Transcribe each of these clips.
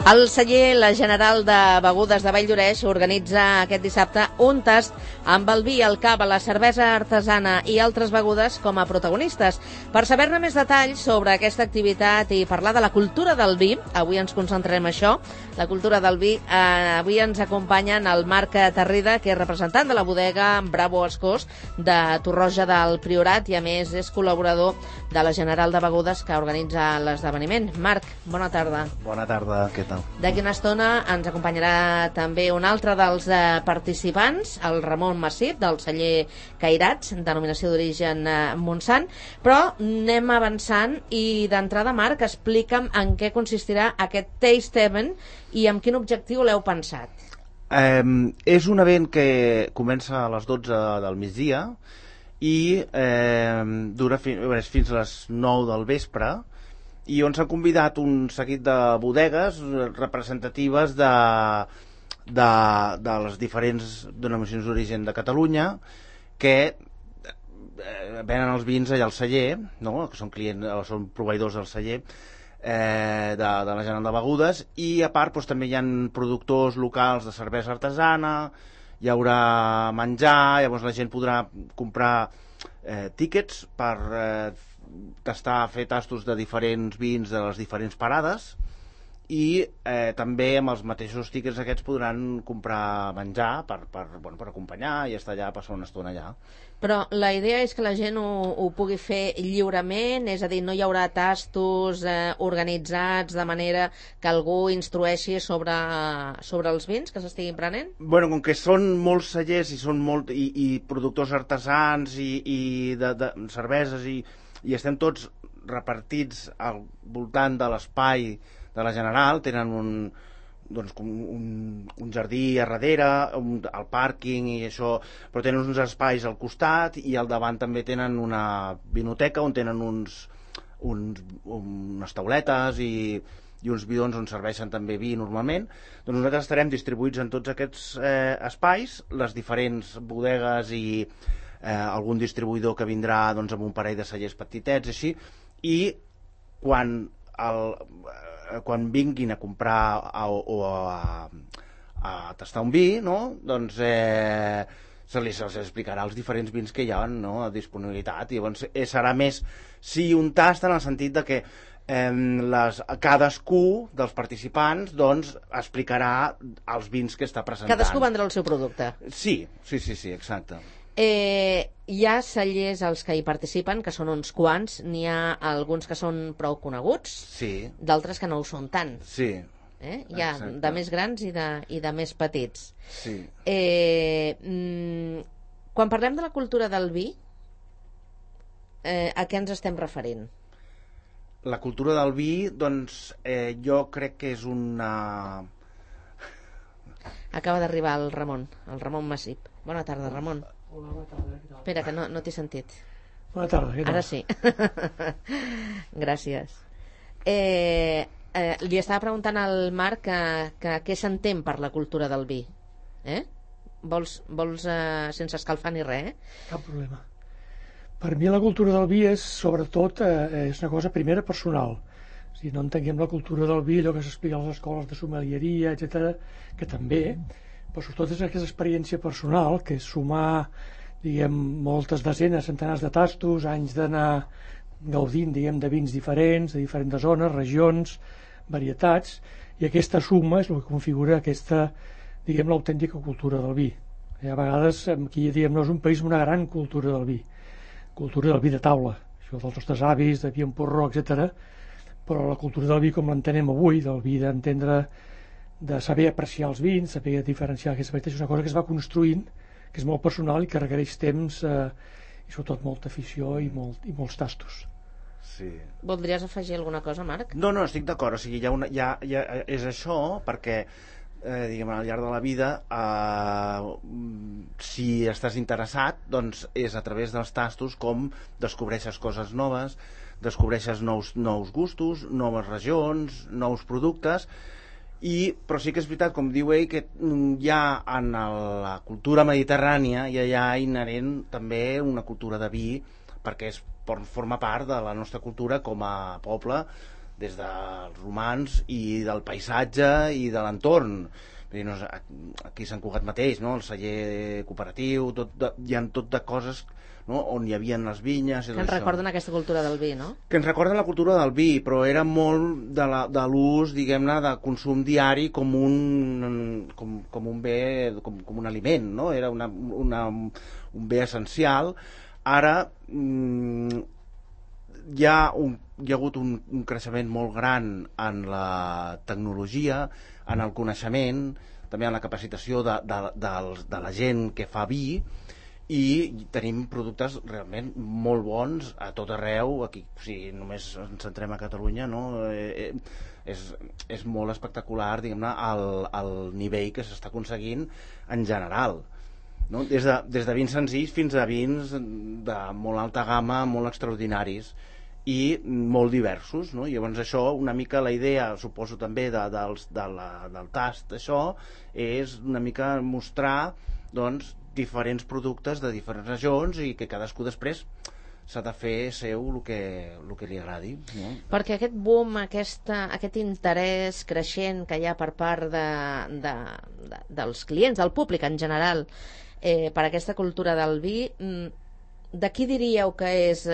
El celler La General de Begudes de Valldoreix organitza aquest dissabte un tast amb el vi, el cava, la cervesa artesana i altres begudes com a protagonistes. Per saber-ne més detalls sobre aquesta activitat i parlar de la cultura del vi, avui ens concentrarem en això, la cultura del vi. Avui ens acompanyen el Marc Tarrida, que és representant de la bodega Bravo Escós de Torroja del Priorat i a més és col·laborador de la General de Begudes que organitza l'esdeveniment. Marc, bona tarda. Bona tarda, què tal? D'aquí una estona ens acompanyarà també un altre dels participants, el Ramon Massip, del celler Cairats, denominació d'origen Montsant, però anem avançant i d'entrada, Marc, explica'm en què consistirà aquest Taste Event i amb quin objectiu l'heu pensat. És un event que comença a les 12 del migdia i dura fins a les 9 del vespre, i on s'ha convidat un seguit de bodegues representatives de les diferents denominacions d'origen de Catalunya que venen els vins allà al celler, no? Que són clients, són proveïdors del celler de la General de Begudes, i a part doncs, també hi ha productors locals de cervesa artesana, hi haurà menjar, llavors la gent podrà comprar tíquets per fer tastos de diferents vins de les diferents parades, i també amb els mateixos tíquets aquests podran comprar menjar per acompanyar i estar allà, passar una estona allà. Però la idea és que la gent ho pugui fer lliurement, és a dir, no hi haurà tastos organitzats de manera que algú instrueixi sobre els vins que s'estiguin prenent? Bueno, com que són molts cellers i productors artesans i de cerveses i estem tots repartits al voltant de l'espai de la General, tenen un jardí a darrere, el pàrquing i això, però tenen uns espais al costat i al davant també tenen una vinoteca on tenen unes tauletes i uns bidons on serveixen també vi normalment. Doncs nosaltres estarem distribuïts en tots aquests espais, les diferents bodegues i algun distribuïdor que vindrà amb un parell de cellers petitets així, i quan vinguin a comprar o a tastar un vi, no? Doncs se'ls explicarà els diferents vins que hi ha, no? A disponibilitat, i llavors serà més un tast en el sentit de que cadascú dels participants explicarà els vins que està presentant. Cadascú vendrà el seu producte. Sí, exacte. Hi ha cellers als que hi participen, que són uns quants, n'hi ha alguns que són prou coneguts, sí, d'altres que no ho són tant. Sí. Hi ha de més grans i de més petits. Sí. Quan parlem de la cultura del vi, a què ens estem referint? La cultura del vi, doncs, jo crec que és una... Acaba d'arribar el Ramon Massip. Bona tarda, Ramon. Hola, bona tarda. Espera, que no t'he sentit. Bona tarda, què tal? Ara sí. Gràcies. Li estava preguntant al Marc que què s'entén per la cultura del vi. Vols sense escalfar ni res, Cap problema. Per mi la cultura del vi és, sobretot, és una cosa primera personal. O sigui, no entenguem la cultura del vi, allò que s'explica a les escoles de sommelieria, etc, que també, però sobretot és aquesta experiència personal, que és sumar, diguem, moltes desenes, centenars de tastos, anys d'anar gaudint, diguem, de vins diferents, de diferents zones, regions, varietats, i aquesta suma és el que configura aquesta, diguem, l'autèntica cultura del vi. A vegades aquí, diguem, no és un país amb una gran cultura del vi de taula, això dels nostres avis, de vi en porró, etc. Però la cultura del vi com l'entenem avui, del vi d'entendre, de saber apreciar els vins, saber diferenciar aquestes varietats, és una cosa que es va construint, que és molt personal i que requereix temps i sobretot molta afició i molts tastos. Sí. Voldries afegir alguna cosa, Marc? No, estic d'acord, o sigui, és això, perquè diguem, al llarg de la vida si estàs interessat, doncs és a través dels tastos com descobreixes coses noves, descobreixes nous gustos, noves regions, nous productes. Però sí que és veritat, com diu ell, que hi ha en la cultura mediterrània hi ha inherent també una cultura de vi, perquè forma part de la nostra cultura com a poble des dels romans i del paisatge i de l'entorn. Aquí a Sant Cugat mateix, no? El celler cooperatiu, hi ha tot de coses, no? On hi havia les vinyes... Que ens recorden aquesta cultura del vi, no? Que ens recorden la cultura del vi, però era molt de l'ús, diguem-ne, de consum diari com un bé, com un aliment, no? Era un bé essencial. Ara hi ha hagut un creixement molt gran en la tecnologia, en el coneixement, també en la capacitació de la gent que fa vi, i tenim productes realment molt bons a tot arreu. Aquí, si només ens centrem a Catalunya, no? És molt espectacular, diguem-ne, el nivell que s'està aconseguint en general, no? Des de vins senzills fins a vins de molt alta gamma, molt extraordinaris i molt diversos, no? I llavors això, una mica la idea, suposo també del tast, això és una mica mostrar, doncs, diferents productes de diferents regions i que cadascú després s'ha de fer seu el que li agradi, no? Perquè aquest boom, aquest interès creixent que hi ha per part dels clients, del públic en general, per aquesta cultura del vi, de qui diríeu que és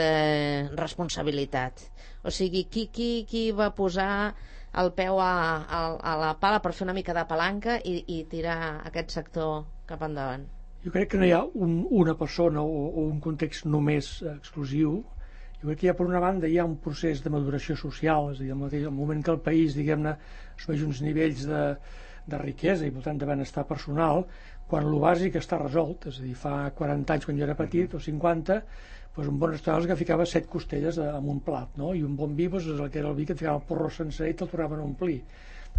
responsabilitat? O sigui, qui va posar el peu a la pala per fer una mica de palanca i tirar aquest sector cap endavant? Jo crec que no hi ha una persona o un context només exclusiu. Jo crec que per una banda hi ha un procés de maduració social, és a dir, el moment que el país, diguem-ne, assoleix uns nivells de riquesa i per tant de benestar personal, quan el bàsic està resolt, és a dir, fa 40 anys quan jo era petit, o 50, doncs un bon restaurant és el que ficava 7 costelles en un plat, no? I un bon vi és el que era el vi que et ficava el porró sencer i te'l tornaven a omplir.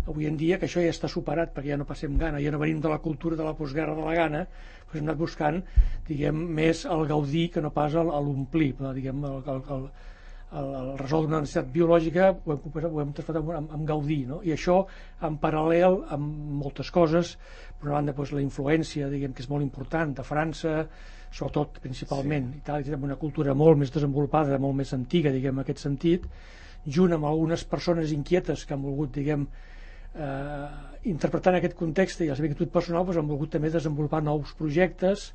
Avui en dia, que això ja està superat, perquè ja no passem gana, ja no venim de la cultura de la postguerra de la gana, doncs hem anat buscant, diguem, més el gaudir que no pas l'omplir, diguem, el resoldre una necessitat biològica ho hem transformat en gaudir, no? I això en paral·lel amb moltes coses. Per una banda, doncs, la influència, diguem, que és molt important, de França, sobretot principalment, sí. Itàlia té una cultura molt més desenvolupada, molt més antiga, diguem, en aquest sentit, junt amb algunes persones inquietes que han volgut, diguem, interpretant aquest context i la seva inquietud personal, doncs han volgut també desenvolupar nous projectes,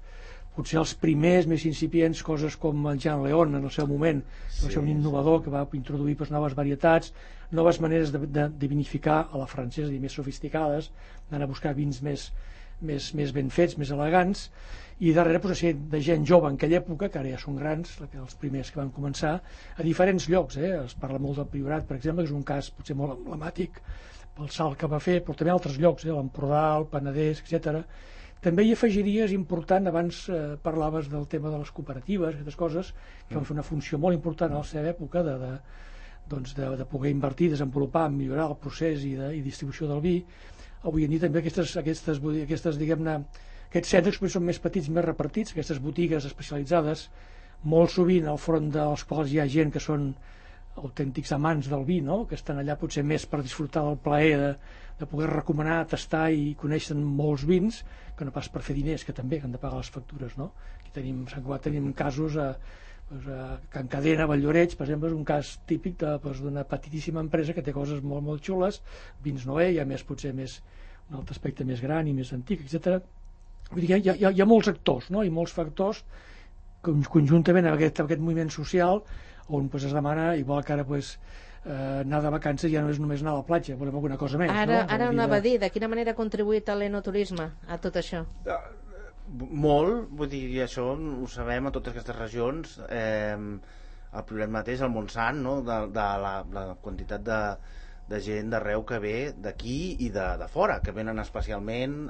potser els primers més incipients, coses com el Jean León en el seu moment, que va ser un innovador que va introduir noves varietats, noves maneres de vinificar a la francesa, més sofisticades, d'anar a buscar vins més ben fets, més elegants, i darrere de gent jove en aquella època, que ara ja són grans, els primers que van començar, a diferents llocs. Es parla molt del Priorat, per exemple, que és un cas potser molt emblemàtic pel salt que va fer, però també altres llocs, l'Empordà, el Penedès, etc. També hi afegiria, és important, abans parlaves del tema de les cooperatives, aquestes coses, que van fer una funció molt important a la seva època de poder invertir, desenvolupar, millorar el procés i distribució del vi. Avui en dia també aquestes diguem-ne, aquests centres són més petits, més repartits, aquestes botigues especialitzades, molt sovint al front dels quals hi ha gent que són autèntics amants del vi, no? Que estan allà potser més per disfrutar del plaer de poder recomanar, tastar i conèixer molts vins, que no pas per fer diners, que també han de pagar les factures, no? Aquí tenim casos a Can Cadena, a Valldoreix, per exemple, és un cas típic d'una petitíssima empresa que té coses molt, molt xules, vins Noé, hi ha potser un altre aspecte més gran i més antic, etc. Vull dir, hi ha molts actors, no? I molts factors conjuntament amb aquest moviment social on es demana, igual que ara anar de vacances ja no és només anar a la platja, volem alguna cosa més. Ara anava a dir, de quina manera ha contribuït l'enoturisme a tot això? Molt, vull dir, i això ho sabem a totes aquestes regions. El problema mateix, el Montsant, no? de la quantitat de gent d'arreu que ve d'aquí i de fora, que venen especialment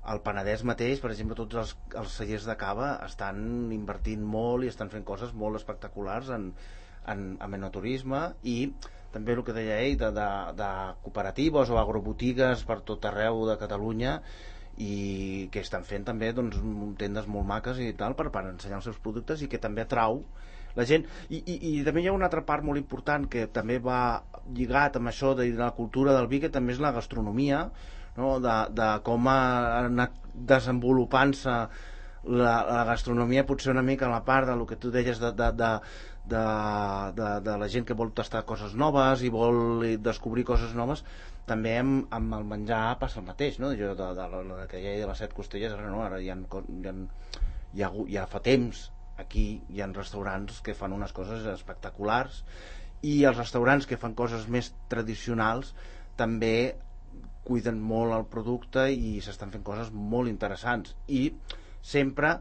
al Penedès mateix, per exemple, tots els cellers de cava estan invertint molt i estan fent coses molt espectaculars en enoturisme, i també el que deia ell de cooperatives o agrobotigues per tot arreu de Catalunya, i que estan fent també tendes molt maques i tal per ensenyar els seus productes, i que també atrau la gent. I també hi ha una altra part molt important que també va lligat amb això de la cultura del vi, que també és la gastronomia, no? De com ha anat desenvolupant-se la gastronomia, potser una mica a la part del que tu deies de la gent que vol tastar coses noves i vol descobrir coses noves. També amb el menjar passa el mateix, no? Jo, que ja hi ha de les 7 costelles, ara no, ara ja fa temps aquí hi ha restaurants que fan unes coses espectaculars, i els restaurants que fan coses més tradicionals també cuiden molt el producte i s'estan fent coses molt interessants, i sempre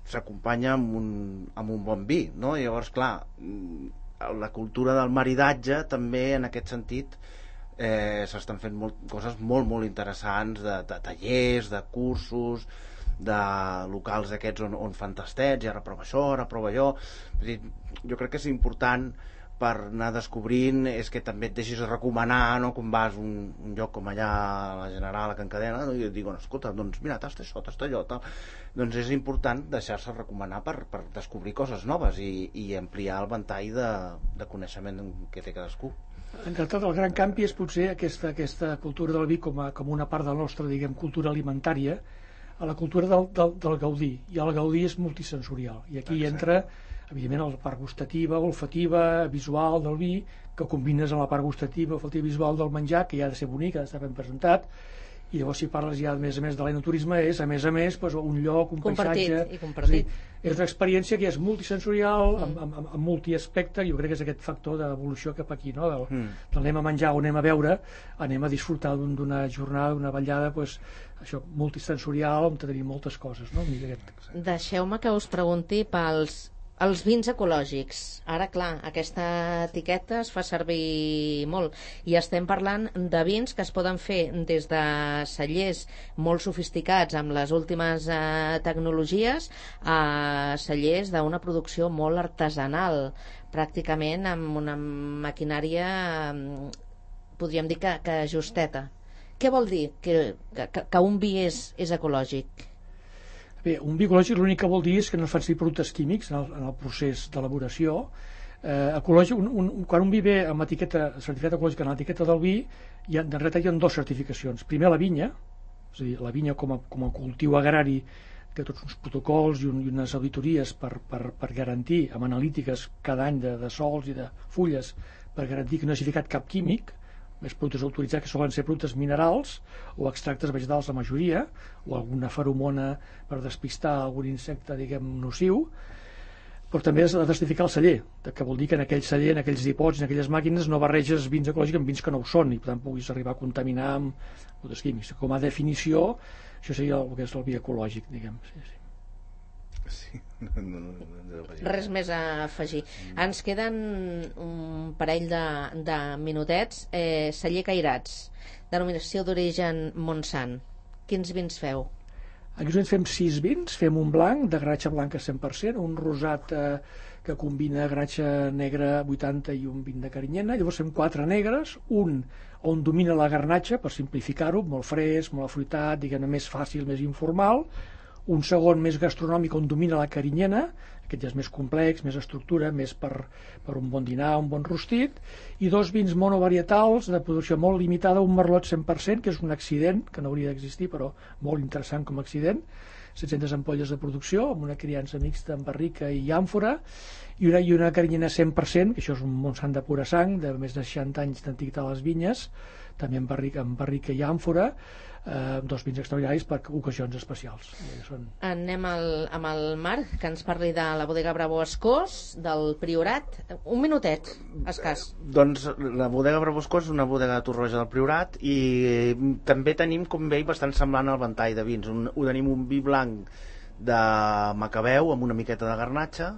s'acompanya amb un bon vi, no? Llavors, clar, la cultura del maridatge també, en aquest sentit, s'estan fent coses molt, molt interessants, de tallers, de cursos, de locals aquests on fan tastets, i ara prova això, ara prova allò. Jo crec que és important, per anar descobrint, és que també et deixis recomanar, no? Quan vas a un lloc com allà a la General, a Can Cadena, no? I et diuen, escolta, doncs mira, tasta això, tasta allò, tal. Doncs és important deixar-se recomanar per descobrir coses noves i ampliar el ventall de coneixement que té cadascú. En realitat, el gran canvi és potser aquesta cultura del vi com una part de la nostra, diguem, cultura alimentària, a la cultura del gaudí, i el gaudí és multisensorial, i aquí entra evidentment la part gustativa, olfativa, visual del vi, que combines amb la part gustativa, olfativa i visual del menjar, que ja ha de ser bonic, ha d'estar ben presentat, i llavors si parles ja a més de l'enoturisme és a més doncs, un lloc, un paisatge compartit. És una experiència que és multisensorial, amb multiaspecte. Jo crec que és aquest factor d'evolució cap aquí, no? Del anem a menjar o anem a beure, anem a disfrutar d'una jornada, d'una ballada, doncs, això, multisensorial, on tenim moltes coses, no? Deixeu-me que us pregunti els vins ecològics. Ara, clar, aquesta etiqueta es fa servir molt, i estem parlant de vins que es poden fer des de cellers molt sofisticats amb les últimes tecnologies a cellers d'una producció molt artesanal, pràcticament amb una maquinària, podríem dir que justeta. Què vol dir que un vi és ecològic? Bé, un vi ecològic l'únic que vol dir és que no es fan servir productes químics en el procés d'elaboració. Ecològic, quan un vi ve amb etiqueta certificat ecològic en l'etiqueta del vi, en realitat hi ha 2 certificacions. Primer, la vinya, és a dir, la vinya com a cultiu agrari té tots uns protocols i unes auditories per garantir, amb analítiques cada any de sols i de fulles, per garantir que no hagi ficat cap químic. Els productes autoritzats, que solen ser productes minerals o extractes vegetals, la majoria, o alguna feromona per despistar algun insecte, diguem, nociu. Però també has de certificar el celler, que vol dir que en aquell celler, en aquells dipòsits, en aquelles màquines, no barreges vins ecològics amb vins que no ho són, i per tant puguis arribar a contaminar amb productes químics. Com a definició, això seria el que és el vi ecològic, diguem. Sí. Res més a afegir. Ens queden un parell de minutets. Celler Cairats, denominació d'origen Montsant. Quins vins feu? Aquí fem 6 vins. Fem un blanc de garnatxa blanca 100%, un rosat que combina garnatxa negra 80 i un 20 de carinyena. Llavors fem 4 negres, un on domina la garnatxa, per simplificar-ho, molt fresc, molt afruitat, diguem-ne, més fàcil, més informal. Un segon més gastronòmic on domina la carinyena, aquest ja és més complex, més estructura, més per un bon dinar, un bon rostit, i 2 vins monovarietals de producció molt limitada, un merlot 100%, que és un accident, que no hauria d'existir, però molt interessant com a accident, 700 ampolles de producció, amb una criança mixta amb barrica i àmfora, i una carinyena 100%, que això és un Montsant de pura sang, de més de 60 anys d'antiguitat a les vinyes, també amb barrica i àmfora, 2 vins extraordinaris per ocasions especials. Anem amb el Marc, que ens parli de la bodega Bravo Escós, del Priorat. Un minutet, escàs. Doncs la bodega Bravo Escós és una bodega de Torroja del Priorat, i també tenim, com veig, bastant semblant al ventall de vins. Tenim un vi blanc de Macabeu amb una miqueta de garnatxa,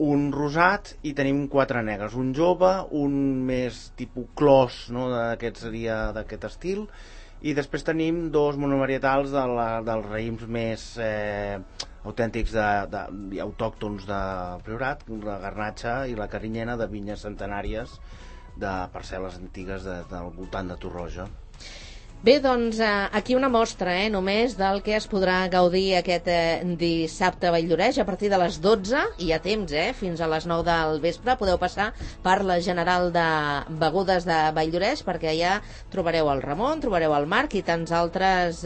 un rosat, i tenim 4 negres, un jove, un més tipus clos, no? Aquest seria d'aquest estil, i després tenim 2 monovarietals dels raïms més autèntics i autòctons de Priorat, la garnatxa i la carinyena, de vinyes centenàries de parcel·les antigues del voltant de Torroja. Bé, doncs aquí una mostra només del que es podrà gaudir aquest dissabte a Valldoreix a partir de les 12, hi ha temps, fins a les 9 del vespre. Podeu passar per la General de Begudes de Valldoreix, perquè allà trobareu el Ramon, trobareu el Marc i tants altres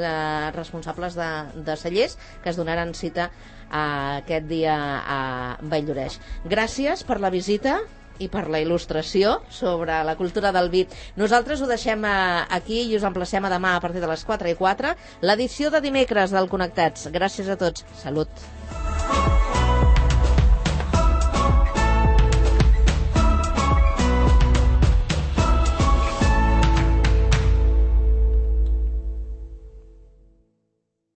responsables de cellers que es donaran cita aquest dia a Valldoreix. Gràcies per la visita i per la il·lustració sobre la cultura del vi. Nosaltres ho deixem aquí i us emplacem a demà a partir de les 4:04, l'edició de dimecres del Connectats. Gràcies a tots. Salut.